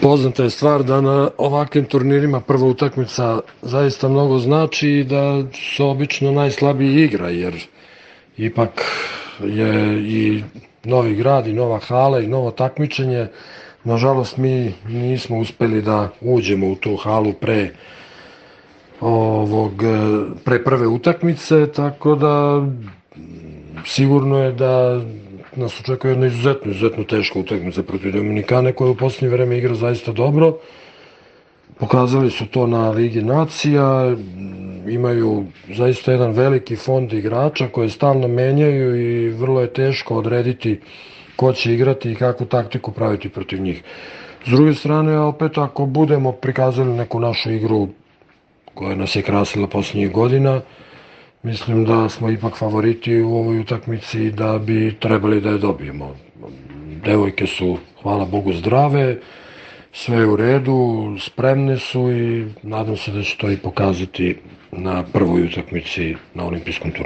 Poznata je stvar da na ovakvim turnirima prva utakmica zaista mnogo znači i da se obično najslabiji igra, jer ipak je i novi grad i nova hala i novo takmičenje. Nažalost, mi nismo uspeli da uđemo u tu halu pre prve utakmice, tako da sigurno je da nas očekuje jedna izuzetno teška utakmica protiv Dominikane, koja u posljednje vreme igra zaista dobro. Pokazali su to na Ligi nacija, imaju zaista jedan veliki fond igrača koje stalno menjaju i vrlo je teško odrediti ko će igrati i kakvu taktiku praviti protiv njih. S druge strane, opet ako budemo prikazali neku našu igru koja nas je krasila posljednjih godina, mislim da smo ipak favoriti u ovoj utakmici i da bi trebali da je dobijemo. Devojke su, hvala Bogu, zdrave, sve je u redu, spremne su i nadam se da će to i pokazati na prvoj utakmici na olimpijskom turniru.